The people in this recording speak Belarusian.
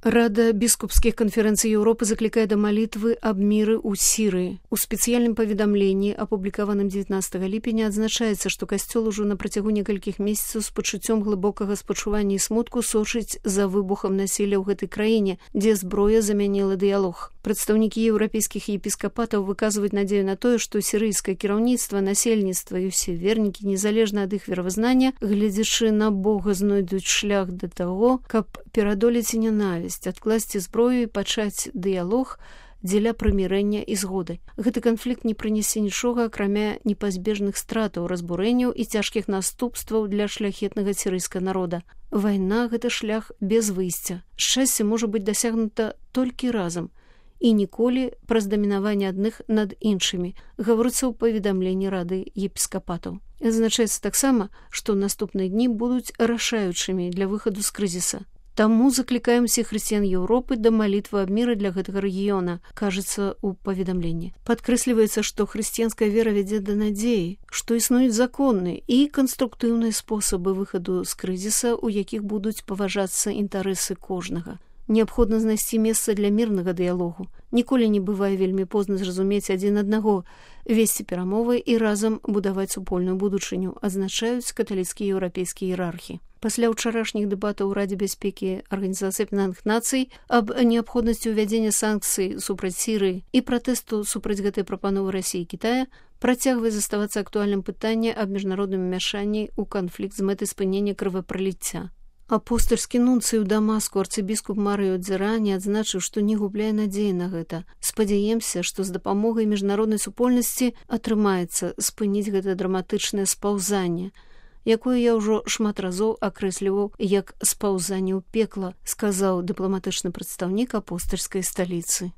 Рада біскупскіх канферэнцый Еўропы заклікае да малітвы аб міры ў Сірыі. У спецыяльным паведамленні, апублікаваным 19 ліпеня, адзначаецца, што касцёл ужо на працягу некалькіх месяцаў з пачуццём глыбокага спачування і смутку сочыць за выбухам насілля ў гэтай краіне, дзе зброя замяніла дыялог. Прадстаўнікі еўрапейскіх епіскапатаў выказваюць надзею на тое, што сірыйскае кіраўніцтва, насельніцтва і ўсе вернікі, незалежна ад іх веравызнання, гледзячы на Бога, знойдуць шлях да таго, каб перадолець нянавісць, адкласці зброю і пачаць дыялог дзеля прымірэння і згоды. Гэты канфлікт не прынясе нічога, акрамя непазбежных стратаў, разбурэнняў і цяжкіх наступстваў для шляхетнага сірыйскага народа. Вайна – гэта шлях без выйсця. Шчасце можа быць дасягнута толькі разам і ніколі праз дамінаванне адных над іншымі, гаворыцца ў паведамленні Рады епіскапатаў. Адзначаецца таксама, што наступныя дні будуць рашаючымі для выхаду з крызіса. Таму заклікаем усіх хрысціян Еўропы да малітвы аб міры для гэтага рэгіёна, кажацца ў паведамленні. Падкрэсліваецца, што хрысціянская вера вядзе да надзеі, што існуюць законныя і канструктыўныя спосабы выхаду з крызіса, у якіх будуць паважацца інтарэсы кожнага. Неабходна знайсці месца для мірнага дыялогу. Ніколі не бывае вельмі позна зразумець адзін аднаго, весці перамовы і разам будаваць супольную будучыню, адзначаюць каталіцкія еўрапейскія іерархі. Пасля ўчарашніх дэбатаў у Радзе бяспекі Арганізацыі Аб'яднаных Нацый аб неабходнасці ўвядзення санкцый супраць Сірыі і пратэсту супраць гэтай прапановы Расіі і Кітая працягвае заставацца актуальным пытанне аб міжнародным умяшанні ў канфлікт з мэтай спынення крывапраліцця. Апостальскі нунцый у Дамаску арцыбіскуп Марыё Дзерані адзначыў, што не губляе надзеі на гэта. Спадзяемся, што з дапамогай міжнароднай супольнасці атрымаецца спыніць гэта драматычнае спаўзанне, якое я ўжо шмат разоў акрэсліваў як спаўзанне ў пекла, сказаў дыпламатычны прадстаўнік апостальскай сталіцы.